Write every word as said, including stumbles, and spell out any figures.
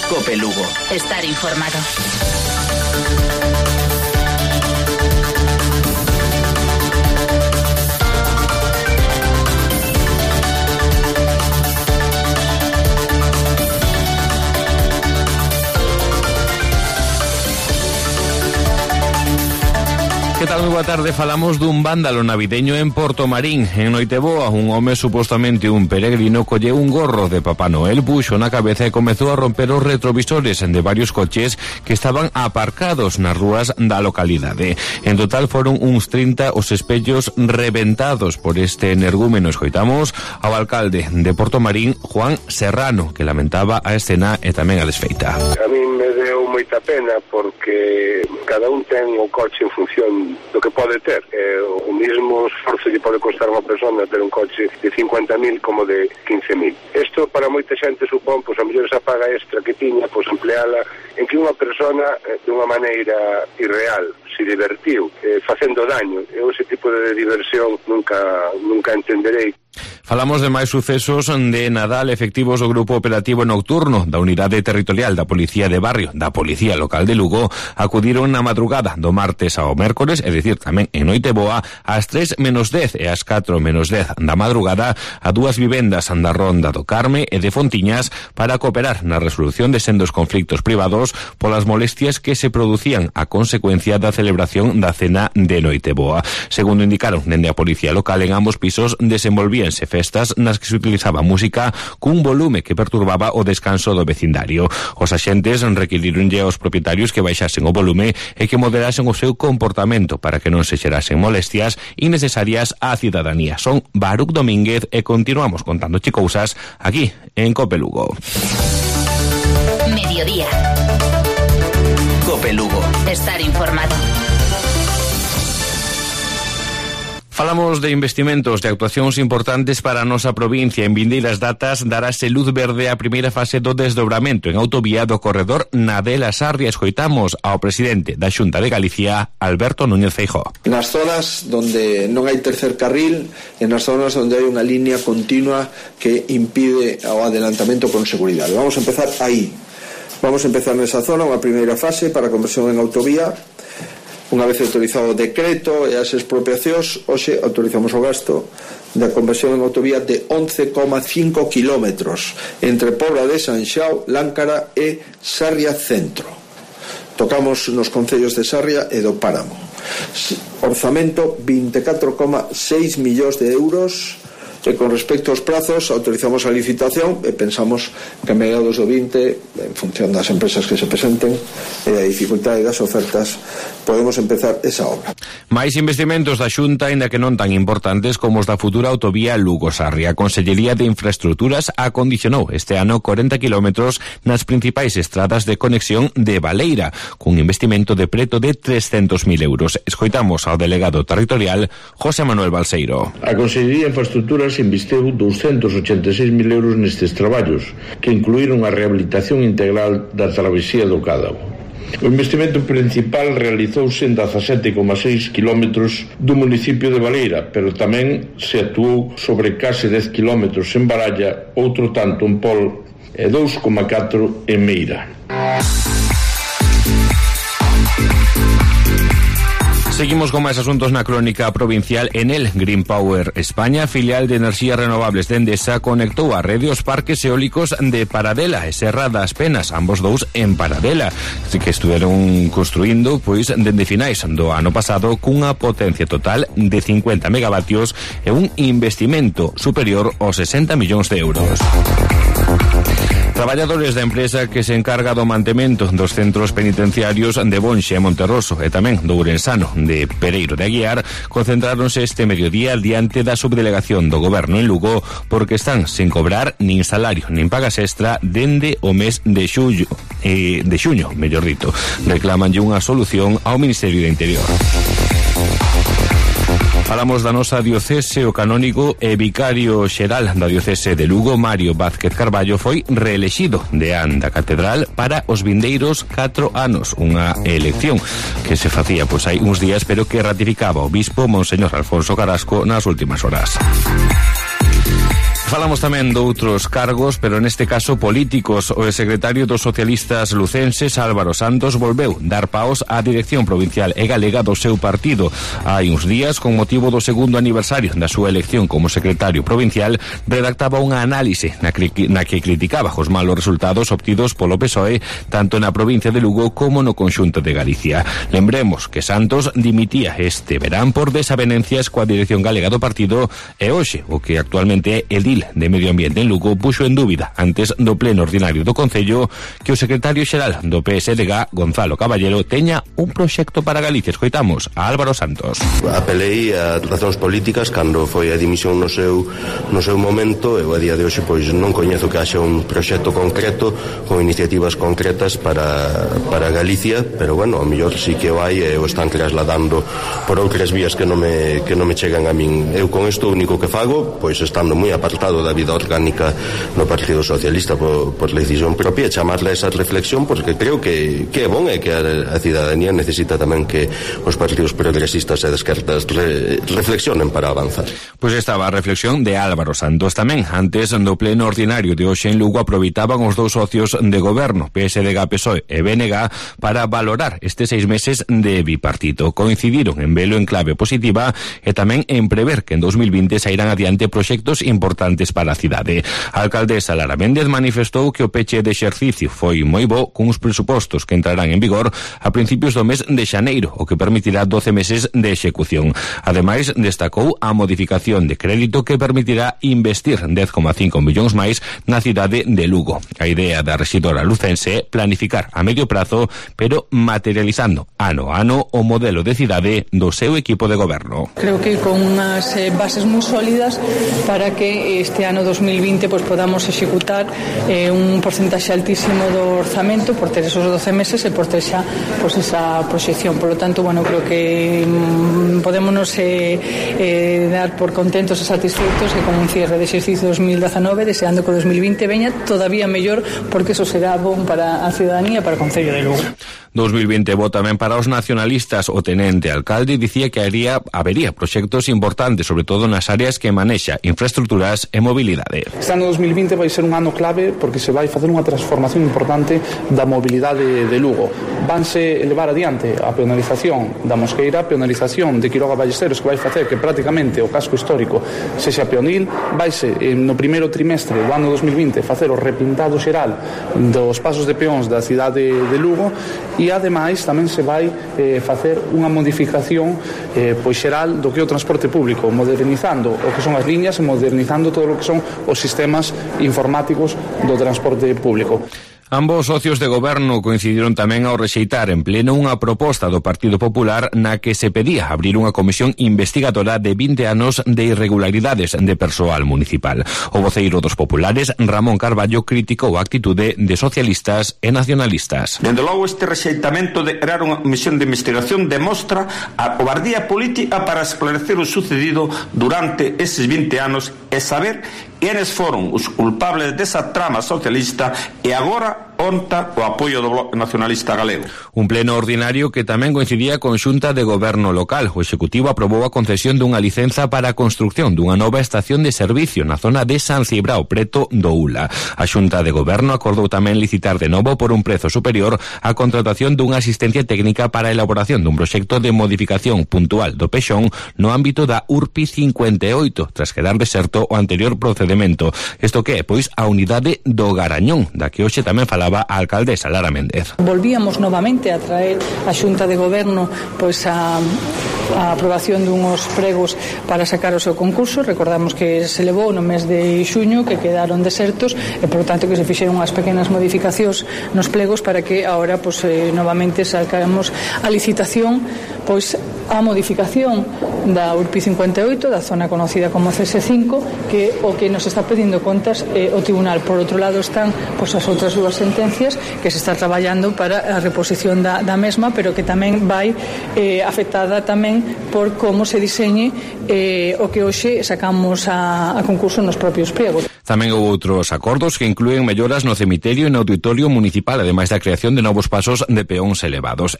COPE Lugo. Estar informado. Que tal? Moi boa tarde. Falamos dun vándalo navideño en Portomarín. En Noiteboa, un home, supostamente un peregrino, colleu un gorro de Papá Noel, puxo na cabeza e comezou a romper os retrovisores de varios coches que estaban aparcados nas rúas da localidade. En total foron uns trinta os espellos reventados por este energúmeno. Escoitamos ao alcalde de Portomarín, Juan Serrano, que lamentaba a escena e tamén a desfeita. A mí me deu moita pena porque cada un ten o coche en función do que pode ter. Eh, o mismo esforzo que pode costar unha persona ter un coche de cincuenta mil como de quince mil. Isto para moita xente supón, pois, a mellor esa paga extra que tiña, pois, empleala en que unha persona, eh, de unha maneira irreal, se divertiu, eh, facendo daño. Eu ese tipo de diversión nunca, nunca entenderei. Falamos de máis sucesos de Nadal. Efectivos do Grupo Operativo Nocturno da Unidade Territorial da Policía de Barrio da Policía Local de Lugo acudiron na madrugada do martes ao mércores, é dicir, tamén en Noiteboa, ás tres menos dez e ás catro menos dez da madrugada a dúas vivendas da Ronda do Carme e de Fontiñas para cooperar na resolución de sendos conflictos privados polas molestias que se producían a consecuencia da celebración da cena de Noiteboa. Segundo indicaron dende a Policía Local, en ambos pisos desenvolvíanse festas nas que se utilizaba música cun volume que perturbaba o descanso do vecindario. Os axentes requirironlle aos propietarios que baixasen o volume e que moderasen o seu comportamento para que non se xerasen molestias innecesarias á cidadanía. Son Baruc Domínguez e continuamos contando cousas aquí en COPE Lugo. Mediodía. COPE Lugo. Estar informado. Falamos de investimentos, de actuacións importantes para a nosa provincia. En vindeiras datas darase luz verde a primeira fase do desdobramento en autovía do corredor Nadela-Sarria. Escoitamos ao presidente da Xunta de Galicia, Alberto Núñez Feijóo. Nas zonas donde non hai tercer carril, e nas zonas onde hai unha línea continua que impide o adelantamento con seguridade. Vamos a empezar aí. Vamos a empezar nesa zona unha primeira fase para a conversión en autovía. Unha vez autorizado o decreto e as expropiacións, hoxe autorizamos o gasto da conversión en autovía de once coma cinco kilómetros entre Pobra de Sanxao, Láncara e Sarria Centro. Tocamos nos concellos de Sarria e do Páramo. Orzamento vinte e catro coma seis millóns de euros. E con respecto aos prazos, autorizamos a licitación e pensamos que a mediados do vinte, en función das empresas que se presenten e a dificultade das ofertas, podemos empezar esa obra. Mais investimentos da Xunta, ainda que non tan importantes como os da futura autovía Lugo-Sarria. A Consellería de Infraestructuras acondicionou este ano corenta kilómetros nas principais estradas de conexión de Baleira, cun investimento de preto de trescentos mil euros. Escoitamos ao delegado territorial, José Manuel Balseiro. A Consellería de Infraestructuras investiu douscentos ochenta e seis mil euros nestes traballos, que incluíron a rehabilitación integral da travesía do Cádavo. O investimento principal realizouse en dezasete coma seis kilómetros do municipio de Baleira, pero tamén se actuou sobre case dez kilómetros en Baralla, outro tanto en Pol e dous coma catro en Meira. Seguimos con máis asuntos na crónica provincial. En el Green Power España, filial de enerxías renovables de Endesa, conectou a rede os parques eólicos de Paradela e Serra das Penas, ambos dous en Paradela, que estuveron construindo pois dende finais do ano pasado cunha potencia total de cincuenta megavatios e un investimento superior aos sesenta millóns de euros. Traballadores da empresa que se encarga do mantemento dos centros penitenciarios de Bonxe e Monterroso e tamén do Ourensano de Pereiro de Aguiar concentráronse este mediodía diante da subdelegación do Goberno en Lugo porque están sen cobrar nin salario nin pagas extra dende o mes de xullo, eh, de xuño, mellor dito. Reclamanlle unha solución ao Ministerio de Interior. Falamos da nosa diocese. O canónigo e vicario xeral da diocese de Lugo, Mario Vázquez Carballo, foi reelexido deán da catedral para os vindeiros catro anos, unha elección que se facía pois hai uns días, pero que ratificaba o bispo Monseñor Alfonso Carrasco nas últimas horas. Falamos tamén de outros cargos, pero neste caso políticos. O secretario dos socialistas lucenses, Álvaro Santos, volveu dar paos á dirección provincial e galega do seu partido. Hai uns días, con motivo do segundo aniversario da súa elección como secretario provincial, redactaba unha análise na, na que criticaba os malos resultados obtidos polo P S O E tanto na provincia de Lugo como no conxunto de Galicia. Lembremos que Santos dimitía este verán por desavenencias coa dirección galega do partido e hoxe, o que actualmente é edil de Medio Ambiente en Lugo, puxo en dúbida antes do pleno ordinario do Concello que o secretario xeral do P S D G, Gonzalo Caballero, teña un proxecto para Galicia. Escoitamos a Álvaro Santos. Apelei a razóns políticas cando foi a dimisión no seu no seu momento. Eu a día de hoxe pois non coñezo que haxa un proxecto concreto con iniciativas concretas para, para Galicia, pero bueno, ao mellor sí que o hai e o están trasladando por outras vías que non me, que non me chegan a min. Eu con isto o único que fago, pois estando moi apartado da vida orgánica no Partido Socialista por, por decisión propia, chamarle a esa reflexión, porque creo que, que é bon e que a, a cidadanía necesita tamén que os partidos progresistas e de esquerdas re, reflexionen para avanzar. Pois estaba a reflexión de Álvaro Santos tamén. Antes do pleno ordinario de hoxe en Lugo aproveitaban os dous socios de goberno, P S D G, P S O E e B N G, para valorar estes seis meses de bipartito. Coincidiron en velo en clave positiva e tamén en prever que en dos mil vinte sairán adiante proxectos importantes para a cidade. A alcaldesa Lara Méndez manifestou que o peche de exercicio foi moi bo, con uns presupostos que entrarán en vigor a principios do mes de xaneiro, o que permitirá doce meses de execución. Ademais, destacou a modificación de crédito que permitirá investir dez coma cinco millóns máis na cidade de Lugo. A idea da rexidora lucense é planificar a medio prazo, pero materializando ano a ano o modelo de cidade do seu equipo de goberno. Creo que con unhas eh, bases moi sólidas para que este ano dos mil vinte pues, podamos executar eh, un porcentaxe altísimo do orzamento por ter esos doce meses e por ter xa pues, esa proxección. Por lo tanto, bueno, creo que mm, podémonos eh, eh, dar por contentos e satisfeitos e con un cierre de exercicio dos mil dezanove, deseando que o dos mil vinte veña todavía mellor, porque eso será bon para a ciudadanía e para o Concello de Lugo. dos mil vinte bo tamén para os nacionalistas. O tenente alcalde dicía que haría, habería proxectos importantes, sobre todo nas áreas que manexa infraestructuras e mobilidade. Este ano dos mil vinte vai ser un ano clave porque se vai facer unha transformación importante da mobilidade de Lugo. Vanse elevar adiante a peonalización da Mosqueira, a peonalización de Quiroga Ballesteros, que vai facer que prácticamente o casco histórico sexa peonil. Vaise no primeiro trimestre do ano dos mil vinte facer o repintado xeral dos pasos de peóns da cidade de Lugo. E ademais tamén se vai eh, facer unha modificación eh, pois xeral do que é o transporte público, modernizando o que son as liñas e modernizando todo o que son os sistemas informáticos do transporte público. Ambos socios de goberno coincidiron tamén ao rexeitar en pleno unha proposta do Partido Popular na que se pedía abrir unha comisión investigadora de vinte anos de irregularidades de persoal municipal. O voceiro dos populares, Ramón Carballo, criticou a actitude de socialistas e nacionalistas. Dende logo, este rexeitamento de crear unha comisión de investigación demostra a cobardía política para esclarecer o sucedido durante eses vinte anos e saber quenes foron os culpables desa trama socialista e agora onta o apoio do Bloque Nacionalista Galego. Un pleno ordinario que tamén coincidía con Xunta de Goberno local. O Executivo aprobou a concesión dunha licenza para a construcción dunha nova estación de servicio na zona de San Cibrao, preto do Ula. A Xunta de Goberno acordou tamén licitar de novo por un prezo superior a contratación dunha asistencia técnica para a elaboración dun proxecto de modificación puntual do Pexón no ámbito da U R P I cincuenta e oito, tras quedar deserto o anterior procedimento. Isto que é, pois, a unidade do Garañón, da que hoxe tamén falaba a alcaldesa Lara Méndez. Volvíamos novamente a traer a Xunta de Goberno pois a, a aprobación dunhos pregos para sacar o seu concurso. Recordamos que se levou no mes de xuño, que quedaron desertos e, por tanto, que se fixeron unhas pequenas modificacións nos plegos para que agora pois, eh, novamente sacamos a licitación pois a modificación da U R P I cincuenta e oito, da zona conocida como C S cinco, que o que nos está pedindo contas eh, o tribunal. Por outro lado están pois, as outras dúas sentencias que se está traballando para a reposición da, da mesma, pero que tamén vai eh, afectada tamén por como se diseñe eh, o que hoxe sacamos a, a concurso nos propios pregos. Tamén houve outros acordos que inclúen melloras no cemiterio e no auditorio municipal, ademais da creación de novos pasos de peóns elevados.